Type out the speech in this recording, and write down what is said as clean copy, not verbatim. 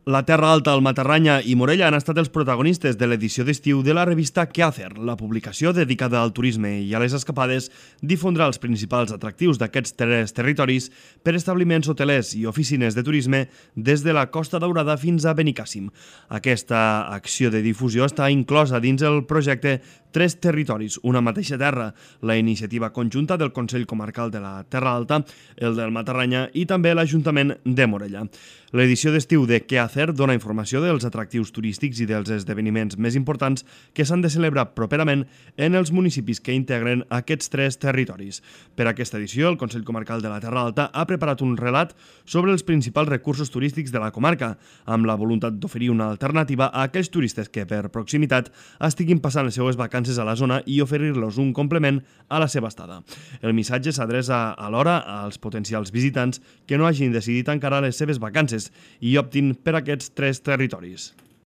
La Terra Alta, el Matarranya i Morella han estat els protagonistes de l'edició d'estiu de la revista Quéhacer. La publicació dedicada al turisme i a les escapades difondrà els principals atractius d'aquests tres territoris per establiments hotelers i oficines de turisme des de la Costa Daurada fins a Benicàssim. Aquesta acció de difusió està inclosa dins el projecte Tres Territoris, una mateixa terra, la iniciativa conjunta del Consell Comarcal de la Terra Alta, el del Matarranya i també l'Ajuntament de Morella. L'edició d'estiu de Quéhacer dona informació dels atractius turístics i dels esdeveniments més importants que s'han de celebrar properament en els municipis que integren aquests tres territoris. Per aquesta edició, el Consell Comarcal de la Terra Alta ha preparat un relat sobre els principals recursos turístics de la comarca, amb la voluntat d'oferir una alternativa a aquells turistes que, per proximitat, estiguin passant les seues vacances a la zona i oferir-los un complement a la seva estada. El missatge s'adreça alhora als potencials visitants que no hagin decidit encara les seves vacances i optin per aquests tres territoris.